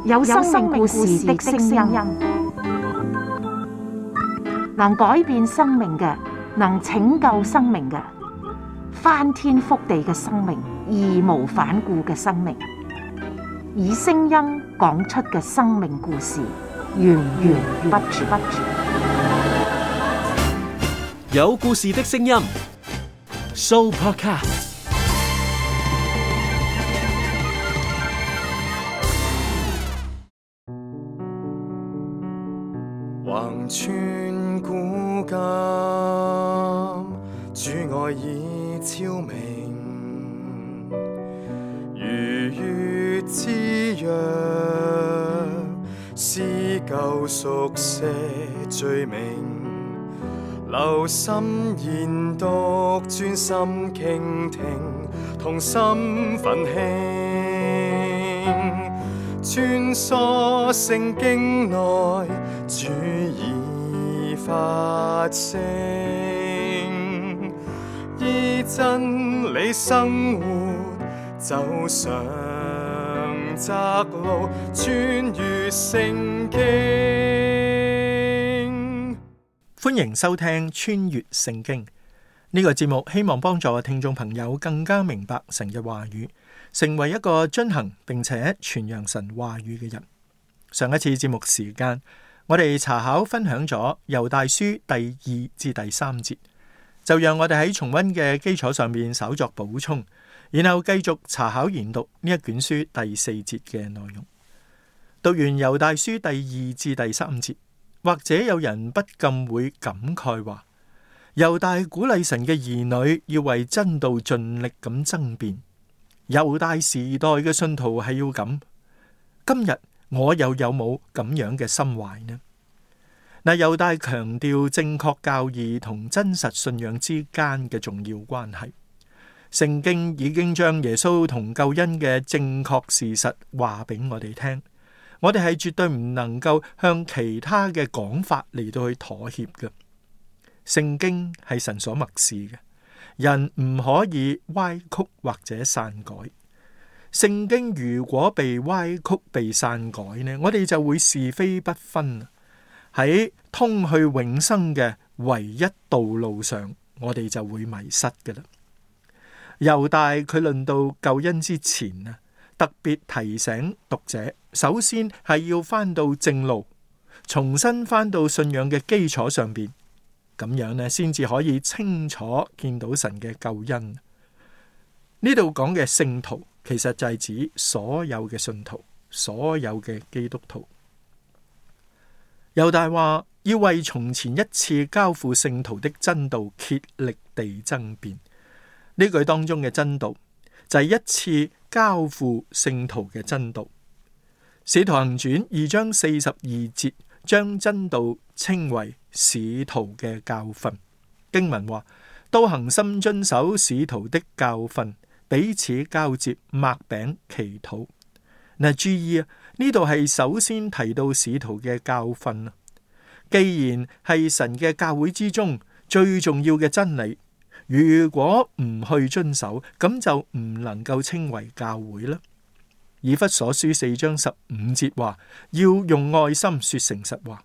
有生命故事的聲音，能改變生命嘅，能拯救生命嘅，翻天覆地嘅生命，義無反顧嘅生命，以聲音講出嘅生命故事，源源不絕。有故事的聲音 ，Sooopodcast。橫穿古今，主愛已超明，如月之約，撕舊熟寫罪名，留心研讀，專心傾聽，同心奮興，穿梭聖經內，主已發聲，依真理生活，走上窄路，穿越聖經。歡迎收聽穿越聖經呢個節目，希望幫助聽眾朋友更加明白神嘅話語，成為一個遵行並且傳揚神話語嘅人。上一次節目時間，我哋查考分享咗猶大書第2至第3節，就讓我哋喺重溫嘅基礎上面稍作補充，然後繼續查考研讀呢一卷書第4節嘅內容。讀完猶大書第2至第3節，或者有人不禁會感慨話，猶大鼓勵神嘅兒女要為真道盡力咁爭辯，猶大時代嘅信徒係要咁，今日我又有冇咁樣嘅心懷呢？嗱，猶大強調正確教義同真實信仰之間嘅重要關係。聖經已經將耶穌同救恩嘅正確事實話俾我哋聽，我哋係絕對唔能夠向其他嘅講法嚟到去妥協嘅。聖經係神所默示嘅，人唔可以歪曲或者篡改。聖經如果被歪曲、被篡改呢，我哋就會是非不分，喺通去永生嘅唯一道路上，我哋就會迷失㗎啦。猶大佢論到救恩之前啊，特別提醒讀者，首先係要翻到正路，重新翻到信仰嘅基礎上邊，咁樣呢先至可以清楚見到神嘅救恩。呢度講嘅聖徒，其實就係指所有嘅信徒，所有嘅基督徒。猶大話要為從前一次交付聖徒的真道竭力地爭辯。呢句當中嘅真道就係一次交付聖徒嘅真道。使徒行傳2章42節將真道稱為使徒嘅教訓。經文話，都恒心遵守使徒的教訓，彼此交接，擘餅祈禱。嗱，注意啊，呢度係首先提到使徒嘅教訓啊。既然係神嘅教會之中最重要嘅真理，如果唔去遵守，咁就唔能夠稱為教會啦。以弗所書4章15節話，要用愛心說誠實話。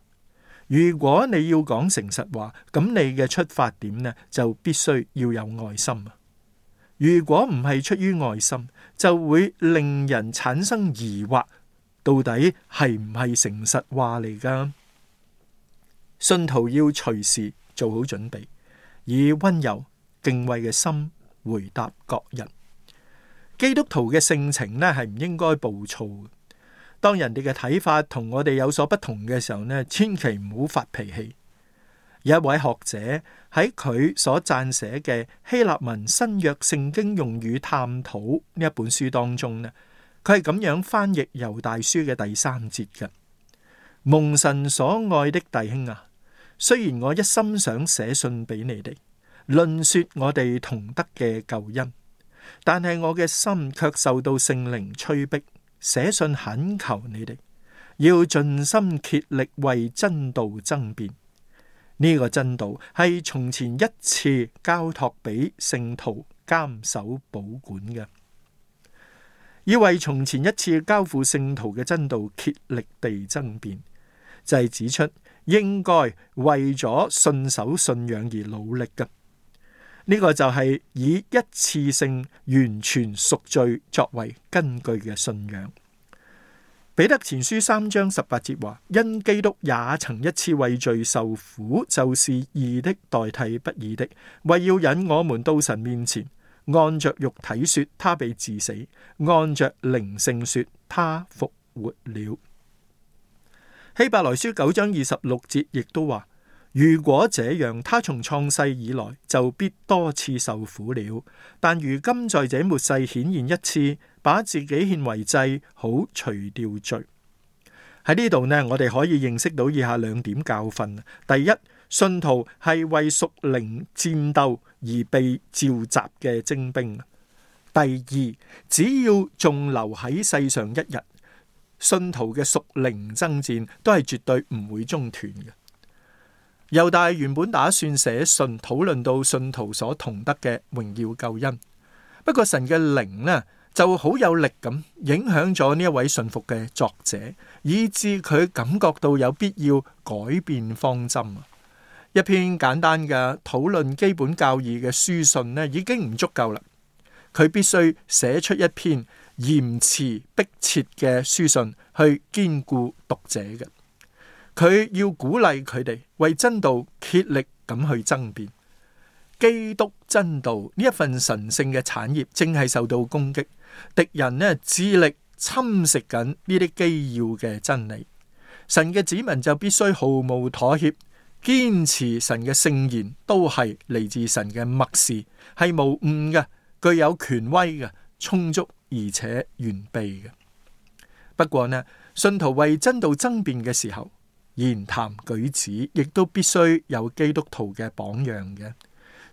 如果你要講誠實話，咁你嘅出發點呢，就必須要有愛心啊。如果唔係出於愛心，就會令人產生疑惑，到底係唔係誠實話嚟㗎？信徒要隨時做好準備，以溫柔敬畏嘅心回答各人。基督徒嘅性情呢，係唔應該暴躁嘅。當人哋嘅睇法同我哋有所不同嘅時候呢，千祈唔好發脾氣。有一位學者喺佢所撰寫嘅希臘文新約聖經用語探討呢一本書當中呢，佢係咁樣翻譯猶大書嘅第3節嘅：蒙神所愛的弟兄啊，雖然我一心想寫信俾你哋，論說我哋同得嘅救恩，但係我嘅心卻受到聖靈催逼，寫信懇求你哋，要盡心竭力為真道爭辯。呢個真道係從前一次交託俾聖徒監守保管嘅。要為從前一次交付聖徒嘅真道竭力地爭辯，就係指出應該為咗信守信仰而努力嘅。呢個就係以一次性完全贖罪作為根據嘅信仰。彼得前書3章18節話：因基督也曾一次為罪受苦，就是義的代替不義的，為要引我們到神面前。按着肉體說，他被治死；按着靈性說，他復活了。希伯來書9章26節亦都話：如果這樣，他從創世以來就必多次受苦了。但如今在這末世顯現一次，把自己獻為祭，好除掉罪。喺呢度呢，我哋可以認識到以下2點教訓。第一，信徒係為屬靈戰鬥而被召集嘅精兵。第二，只要仲留喺世上一日，信徒嘅屬靈爭戰都係絕對唔會中斷嘅。猶大原本打算寫信討論到信徒所同得嘅榮耀救恩，不過神嘅靈呢就好有力咁影響咗呢一位信服嘅作者，以致佢感覺到有必要改變方針。一篇簡單嘅討論基本教義嘅書信呢已經唔足夠啦，佢必須寫出一篇嚴詞迫切嘅書信去堅固讀者嘅。佢要鼓勵佢哋為真道竭力咁去爭辯。基督真道呢一份神聖嘅產業正係受到攻擊，敵人呢致力侵蝕緊呢啲基要嘅真理。神嘅子民就必須毫無妥協，堅持神嘅聖言都係嚟自神嘅默示，係無誤嘅，具有權威嘅，充足而且完備嘅。不過呢，信徒為真道爭辯嘅時候，言談舉止亦都必須有基督徒嘅榜樣嘅。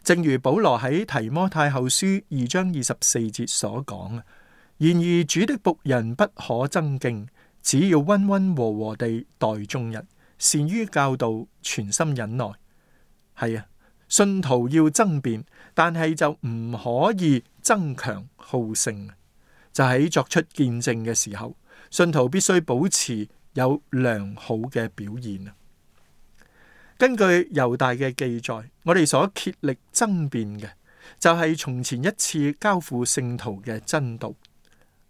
正如保羅喺提摩太後書2章24節所講，然而主的僕人不可爭競，只要溫溫和和地待眾人，善於教導，全心忍耐。係啊，信徒要爭辯，但係就唔可以爭強好勝。就喺作出見證嘅時候，信徒必須保持有良好嘅表現。根據猶大嘅記載，我哋所竭力爭辯嘅就係從前一次交付聖徒嘅真道。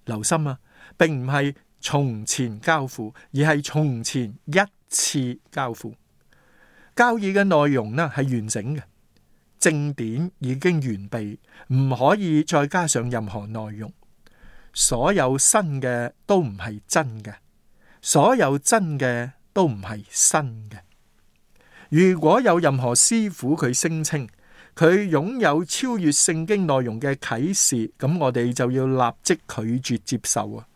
留心啊，並唔係從前交付，而係從前一次交付。教義嘅內容呢係完整嘅，正典已經完備，唔可以再加上任何內容。所有新嘅都唔係真嘅，所有真嘅都唔係新嘅。如果有任何師傅佢聲稱佢擁有超越聖經內容嘅啟示，咁我哋就要立即拒絕接受啊！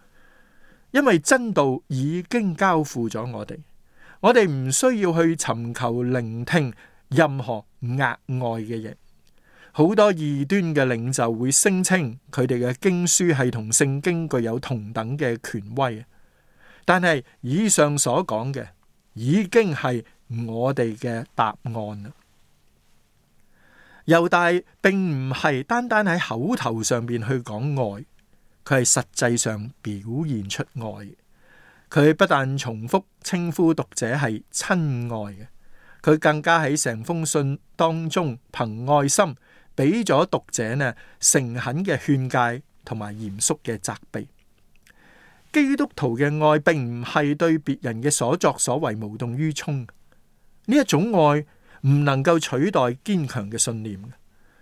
因為真道已經交付咗我哋唔需要去尋求聆聽任何額外嘅嘢。好多異端嘅領袖會聲稱佢哋嘅經書係同聖經具有同等嘅權威，但係以上所講嘅已經係我哋嘅答案啦。猶大並唔係單單喺口頭上邊去講愛，佢係實際上表現出愛。佢不但重複稱呼讀者係親愛嘅，佢更加喺成封信當中憑愛心俾咗讀者呢誠懇嘅勸誡同埋嚴肅嘅責備。基督徒嘅愛並唔係對別人嘅所作所為無動於衷。呢一種愛唔能夠取代堅強嘅信念，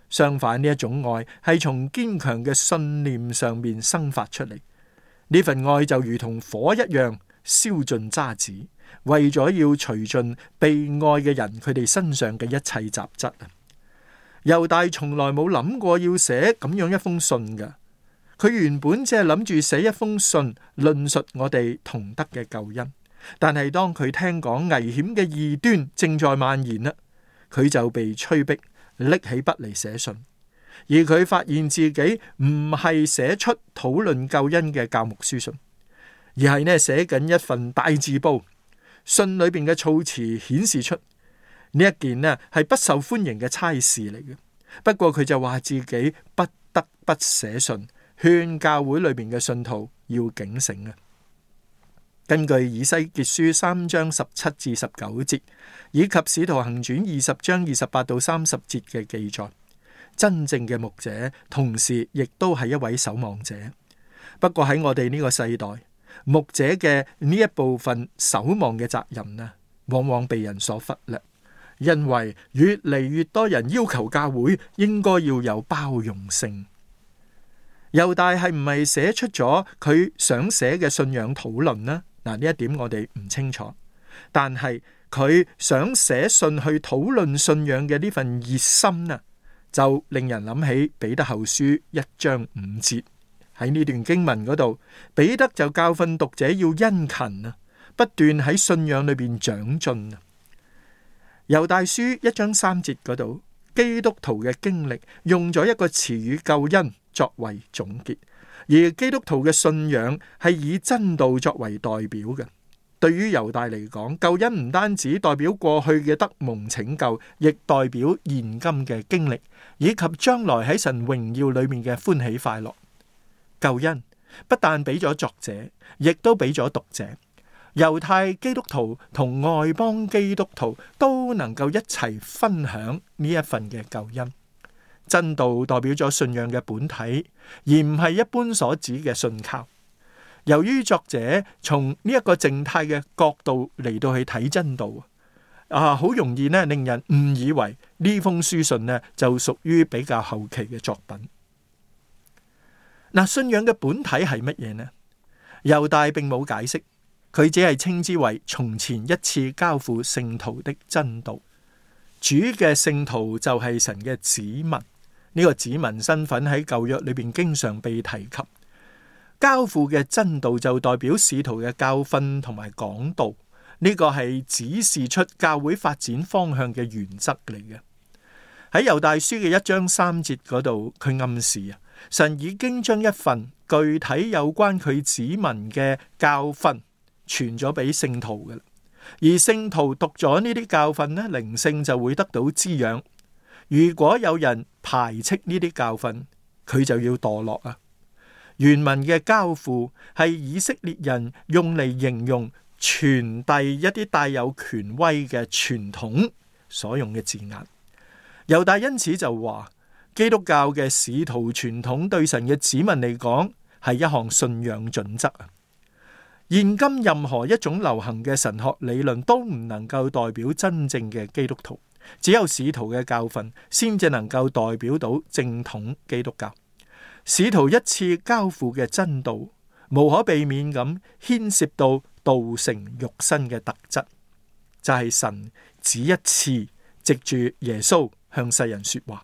相反，呢一種愛係從堅強嘅信念上面生發出嚟。呢份愛就如同火一樣燒盡渣滓，為咗要除盡被愛嘅人佢哋身上嘅一切雜質啊！猶大從來冇諗過要寫咁樣一封信㗎，佢原本只係諗住寫一封信論述我哋同得嘅救恩。但係當佢聽講危險嘅異端正在蔓延啦，佢就被催逼拎起筆嚟寫信，而佢發現自己唔係寫出討論救恩嘅教牧書信，而係寫緊一份大字報。信裏邊嘅措辭顯示出呢一件係不受歡迎嘅差事嚟嘅。不過佢就話自己不得不寫信勸教會裏邊嘅信徒要警醒啊。根據以西結書3章17至19節，以及使徒行傳20章28到30節嘅記載，真正嘅牧者同時亦都係一位守望者。不過喺我哋呢個世代，牧者嘅呢一部分守望嘅責任呢，往往被人所忽略，因為越嚟越多人要求教會應該要有包容性。猶大係唔係寫出咗佢想寫嘅信仰討論呢？嗱，呢一點我哋唔清楚，但係佢想寫信去討論信仰嘅呢份熱心啊，就令人諗起彼得後書1章5節。喺呢段經文嗰度，彼得就教訓讀者要殷勤啊，不斷喺信仰裏邊長進啊。猶大書1章3節嗰度，基督徒嘅經歷用咗一個詞語救恩作為總結。而基督徒嘅信仰係以真道作為代表嘅。對於猶大嚟講，救恩唔單止代表過去嘅得蒙拯救，亦代表現今嘅經歷，以及將來喺神榮耀裏面嘅歡喜快樂。救恩不但俾咗作者，亦都俾咗讀者。猶太基督徒同外邦基督徒都能夠一齊分享呢一份嘅救恩。真道代表咗信仰嘅本體，而唔係一般所指嘅信靠。由於作者從呢一個靜態嘅角度嚟到去睇真道，好容易呢令人誤以為呢封書信呢就屬於比較後期嘅作品。信仰嘅本體係乜嘢呢？猶大並冇解釋，佢只係稱之為從前一次交付聖徒的真道。主嘅聖徒就係神嘅子民。呢個子民身份喺舊約裏邊經常被提及。交付嘅真道就代表使徒嘅教訓同埋講道，呢個係指示出教會發展方向嘅原則嚟嘅。喺猶大書嘅1章3節嗰度，佢暗示神已經將一份具體有關佢子民嘅教訓傳咗俾聖徒嘅，而聖徒讀咗呢啲教訓呢，靈性就會得到滋養。如果有人排斥呢啲教訓，佢就要墮落啊！原文嘅交付係以色列人用嚟形容傳遞一啲帶有權威嘅傳統所用嘅字眼。猶大因此就話，基督教嘅使徒傳統對神嘅子民嚟講係一項信仰準則啊！現今任何一種流行嘅神學理論都唔能夠代表真正嘅基督徒。只有使徒嘅教訓先至能夠代表到正統基督教。使徒一次交付嘅真道，無可避免咁牽涉到道成肉身嘅特質，就係神只一次藉住耶穌向世人說話。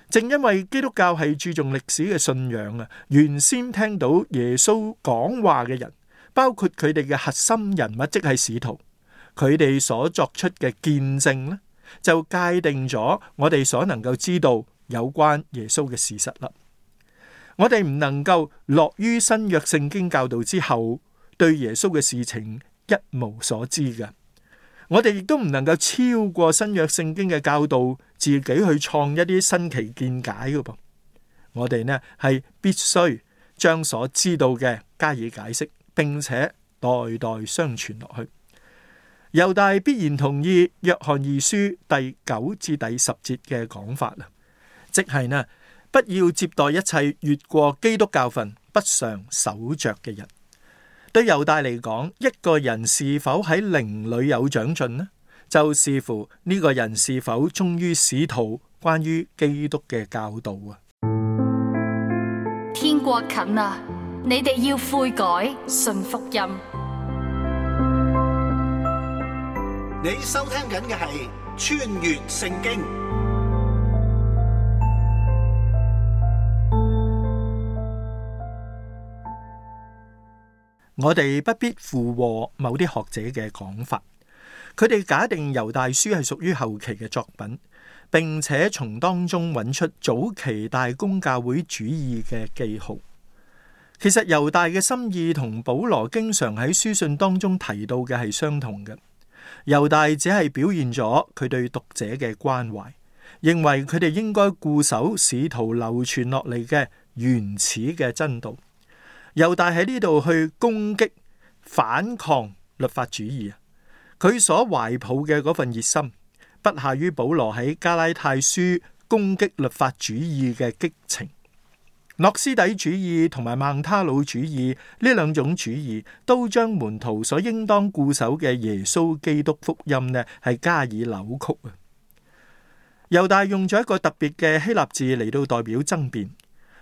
正因為基督教係注重歷史嘅信仰啊，原先聽到耶穌講話嘅人，包括佢哋嘅核心人物，即係使徒，佢哋所作出嘅見證呢，就界定咗我哋所能夠知道有關耶穌嘅事實啦。我哋唔能夠落於新約聖經教導之後，對耶穌嘅事情一無所知嘅。我哋亦都唔能夠超過新約聖經嘅教導，自己去創一啲新奇見解嘅噃。我哋呢係必須將所知道嘅加以解釋，並且代代相傳落去。猶大必然同意約翰二書第9至第10節嘅講法啦，即係呢，不要接待一切越過基督教訓不常守着嘅人。對猶大嚟講，一個人是否喺靈裏有長進呢，就視乎呢個人是否忠於使徒關於基督嘅教導啊。天國近啊，你哋要悔改，信福音。你收聽緊嘅係穿越聖經。我哋不必附和某啲學者嘅講法，佢哋假定猶大書係屬於後期嘅作品，並且從當中揾出早期大公教會主義嘅記號。其實猶大嘅心意同保羅經常喺書信當中提到嘅係相同嘅。猶大只係表現咗佢對讀者嘅關懷，認為佢哋應該固守使徒流傳落嚟嘅原始嘅真道。猶大喺呢度去攻擊反抗律法主義，佢所懷抱嘅嗰份熱心，不下於保羅喺加拉太書攻擊律法主義嘅激情。諾斯底主義同埋孟他努主義呢兩種主義，都將門徒所應當固守嘅耶穌基督福音呢，係加以扭曲啊！猶大用咗一個特別嘅希臘字嚟到代表爭辯，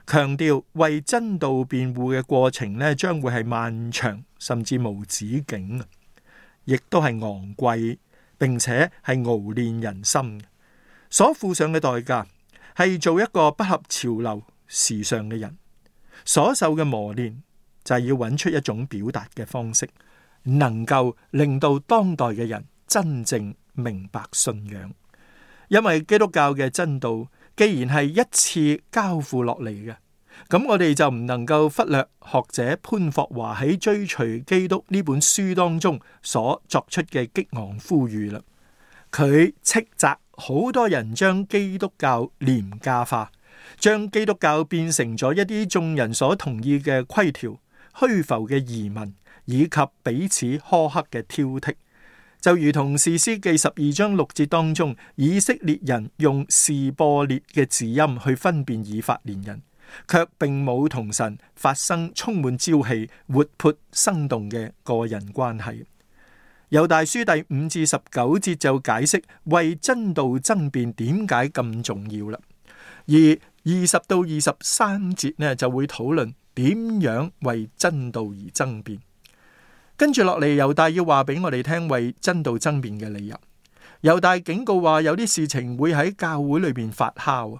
強調為真道辯護嘅過程呢，將會係漫長甚至無止境啊！亦都係昂貴，並且係熬練人心，所付上嘅代價係做一個不合潮流時尚嘅人，所受嘅磨練就係要揾出一種表達嘅方式，能夠令到當代嘅人真正明白信仰。因為基督教嘅真道既然係一次交付落嚟嘅，咁我哋就唔能夠忽略學者潘霍華喺《追隨基督》呢本書當中所作出嘅激昂呼籲啦。佢斥責好多人將基督教廉價化，將基督教變成咗一啲眾人所同意嘅規條、虛浮嘅儀文，以及彼此苛刻嘅挑剔，就如同士師記12章6節當中，以色列人用示播列嘅字音去分辨以法蓮人，卻並冇同神發生充滿朝氣、活潑生動嘅個人關係。猶大書第5至19節就解釋為真道爭辯點解咁重要啦，而20到23節呢就會討論點樣為真道而爭辯。跟住落嚟，猶大要話俾我哋聽為真道爭辯嘅理由。猶大警告話有啲事情會喺教會裏邊發酵。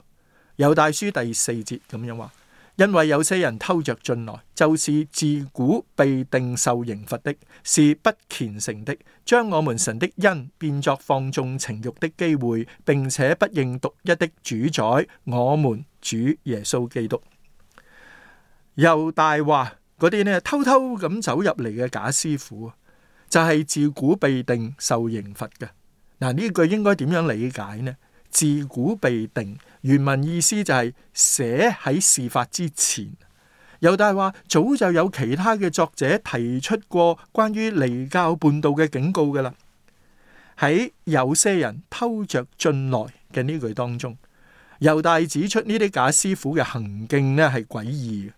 猶大書第4節咁樣話，因為有些人偷着進來，就是自古被定受刑罰的，是不虔誠的，將我們神的恩變作放縱情慾的機會，並且不認獨一的主宰，我們主耶穌基督。猶大話嗰啲呢偷偷咁走入嚟嘅假師傅，就係自古被定受刑罰嘅。嗱，呢句應該點樣理解呢？自古被定，原文意思就係寫喺事發之前。猶大話早就有其他嘅作者提出過關於離教叛道嘅警告噶啦。喺有些人偷着進來嘅呢句當中，猶大指出呢啲假師傅嘅行徑呢係詭異嘅。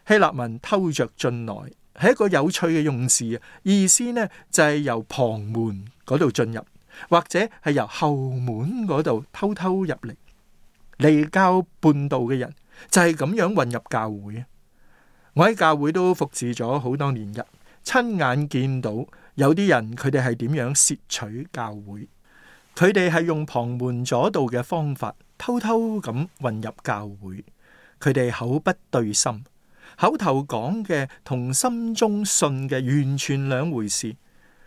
希臘文偷着進來係一個有趣嘅用詞，意思呢就係由旁門嗰度進入，或者係由後門嗰度偷偷入嚟。離教叛道嘅人就係咁樣混入教會。我喺教會都服侍咗好多年日，親眼見到有啲人佢哋係點樣竊取教會，佢哋係用旁門左道嘅方法偷偷咁混入教會，佢哋口不對心，口頭講嘅同心中信嘅完全兩回事。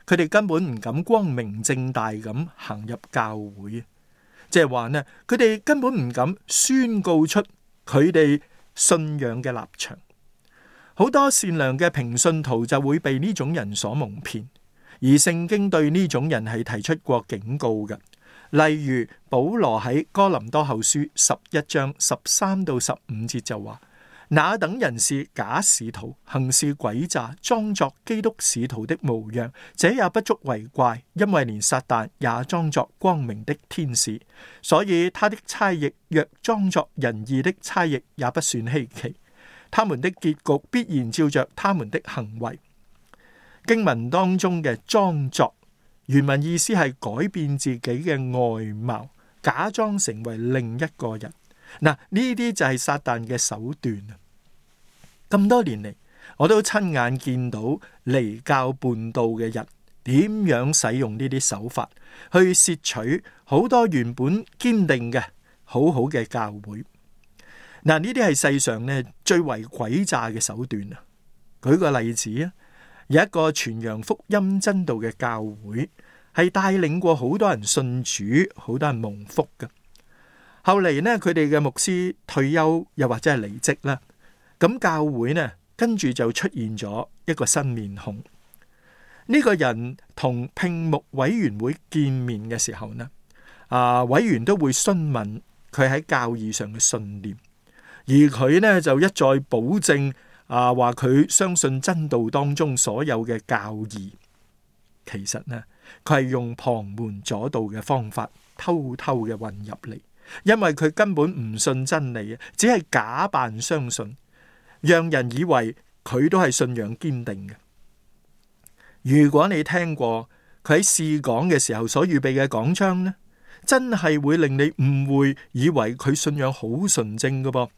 佢哋根本唔敢光明正大咁行入教會，即係話呢，佢哋根本唔敢宣告出佢哋信仰嘅立場。好多善良嘅平信徒就會被呢種人所蒙騙，而聖經對呢種人係提出過警告嘅。例如保羅喺哥林多後書11章13到15節就話，那等人是假使徒，行事詭詐，裝作基督使徒的模樣，這也不足為怪，因為連撒旦也裝作光明的天使，所以他的差役若裝作仁義的差役，也不算稀奇。他們的結局必然照着他們的行為。經文當中嘅裝作，原文意思係改變自己嘅外貌，假裝成為另一個人。嗱，呢啲就係撒旦嘅手段啊！咁多年嚟，我都親眼見到離教叛道嘅人點樣使用呢啲手法去竊取好多原本堅定嘅好好嘅教會。嗱，呢啲係世上呢最為詭詐嘅手段啊！舉個例子啊，有一個傳揚福音真道嘅教會，係帶領過好多人信主，好多人蒙福嘅。後嚟呢，佢哋嘅牧師退休又或者係離職啦，咁教會呢跟住就出現咗一個新面孔。呢個人同聘牧委員會見面嘅時候呢，委員都會詢問佢喺教義上嘅信念。而佢呢就一再保證話佢相信真道當中所有嘅教義。其實呢，佢係用旁門左道嘅方法偷偷嘅混入嚟，因為佢根本唔信真理，只係假扮相信，讓人以為佢都係信仰堅定嘅。如果你聽過佢喺試講嘅時候所預備嘅講章呢，真係會令你誤會，以為佢信仰好純正㗎噃。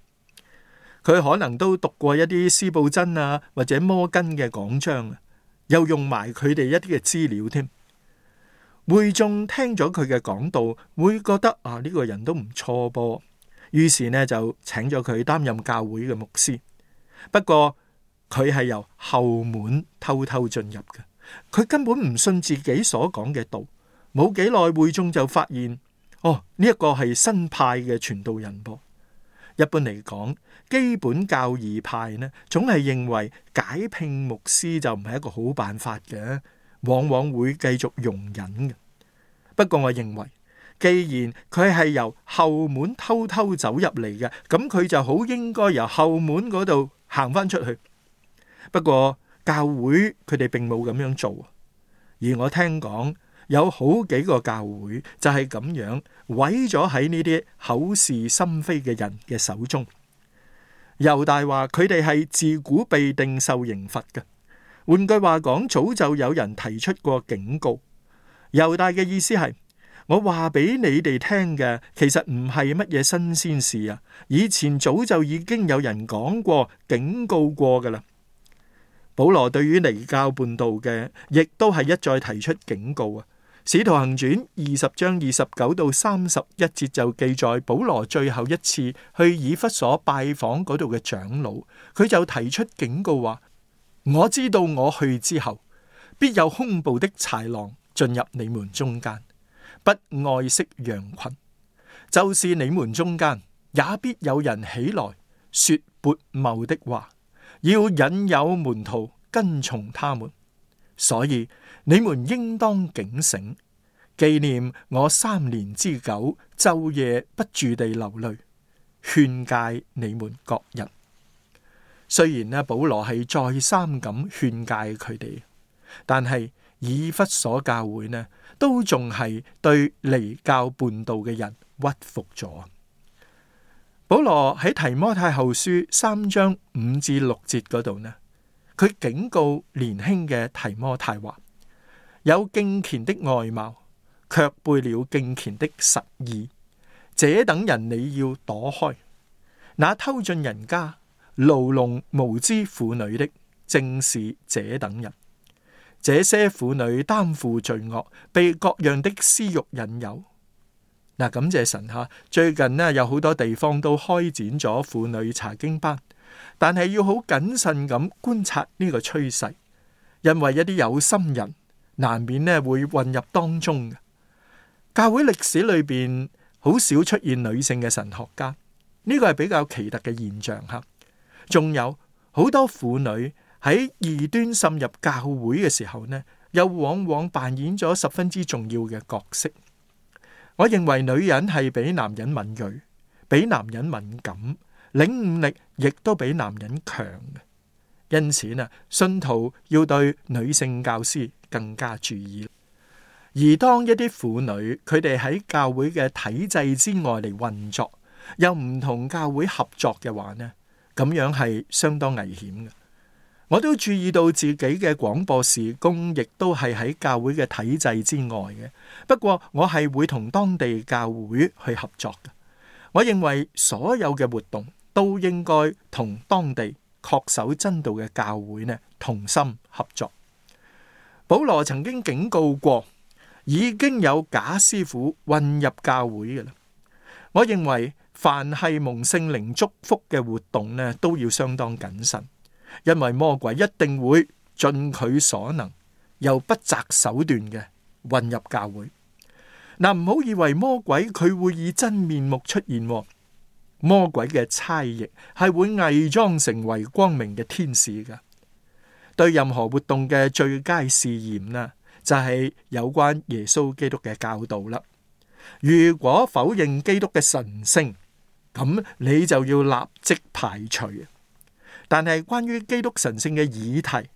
佢可能都讀過一啲司布真或者摩根嘅講章，又用埋佢哋一啲嘅資料添。會眾聽咗佢嘅講道，會覺得呢個人都唔錯噃，於是呢就請咗佢擔任教會嘅牧師。不過佢係由後門偷偷進入嘅，佢根本唔信自己所講嘅道。冇幾耐，會眾就發現呢一個係新派嘅傳道人噃。一般嚟講，基本教義派呢，總係認為解聘牧師就唔係一個好辦法嘅，往往會繼續容忍嘅。不過我認為，既然佢係由後門偷偷走入嚟嘅，咁佢就好應該由後門嗰度行翻出去。不過教會佢哋並冇咁樣做，而我聽講有好幾個教會就係咁樣毀咗喺呢啲口是心非嘅人嘅手中。猶大話佢哋係自古被定受刑罰嘅，換句話講，早就有人提出過警告。猶大嘅意思係，我話俾你哋聽嘅其實唔係乜嘢新鮮事啊，以前早就已經有人講過警告過噶啦。保羅對於離教叛道嘅亦都係一再提出警告啊。使徒行傳20章29到31節就記載，保羅最後一次去以弗所拜訪嗰度嘅長老，佢就提出警告話，我知道我去之後，必有兇暴的豺狼進入你們中間，不愛惜羊群，就是你們中間也必有人起來說悖謬的話，要引誘門徒跟從他們。所以你們應當警醒，紀念我3年之久，晝夜不住地流淚，勸誡你們各人。雖然呢，保羅係再三咁勸誡佢哋，但係以弗所教會呢，都仲係對離教叛道嘅人屈服咗。保羅喺提摩太後書3章5至6節嗰度呢，佢警告年輕嘅提摩太話，有敬虔的外貌，卻背了敬虔的實意，這等人你要躲開。那偷進人家牢籠無知婦女的，正是這等人。這些婦女擔負罪惡，被各樣的私欲引誘。感謝神吓，最近呢有好多地方都開展咗婦女查經班，但係要好謹慎咁觀察呢個趨勢，因為一啲有心人難免呢會混入當中嘅。教會歷史裏邊好少出現女性嘅神學家，呢個係比較奇特嘅現象吓。仲有好多婦女喺異端滲入教會嘅時候呢，又往往扮演咗十分之重要嘅角色。我認為女人係比男人敏銳，比男人敏感，領悟力亦都比男人強嘅。因此呢，信徒要對女性教師更加注意。而當一啲婦女佢哋喺教會嘅體制之外嚟運作，又唔同教會合作嘅話呢，咁樣係相當危險嘅。我都注意到自己嘅廣播事工，亦都係喺教會嘅體制之外嘅。不過我係會同當地教會去合作嘅。我認為所有嘅活動都應該同當地恪守真道嘅教會呢同心合作。保羅曾經警告過，已經有假師傅混入教會嘅啦。我認為凡係蒙聖靈祝福嘅活動呢，都要相當謹慎。因為魔鬼一定會盡佢所能，又不擇手段嘅混入教會。唔好以為魔鬼佢會以真面目出現，魔鬼嘅差役係會偽裝成為光明嘅天使噶。對任何活動嘅最佳試驗呢，就係有關耶穌基督嘅教導啦。如果否認基督嘅神聖，咁你就要立即排除。但係關於基督神性嘅議題，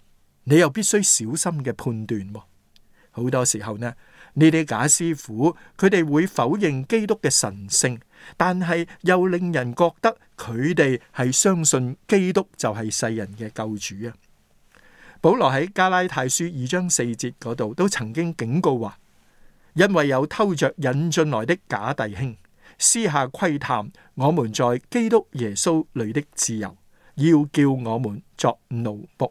你又必須小心嘅判斷。好多時候呢，呢啲假師傅佢哋會否認基督嘅神性，但係又令人覺得佢哋係相信基督就係世人嘅救主啊。保羅喺加拉太書2章4節嗰度都曾經警告話，因為有偷着引進來的假弟兄，私下窺探我們在基督耶穌裏的自由，要叫我們作奴僕。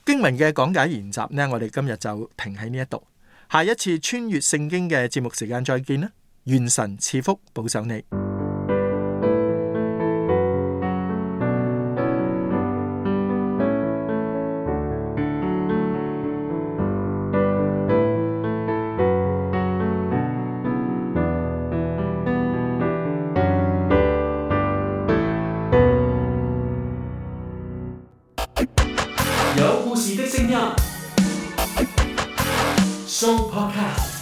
經文嘅講解研習呢，我哋今日就停喺呢一度。下一次穿越聖經嘅節目時間再見啦！願神賜福保守你。有故事的聲音，Show Podcast。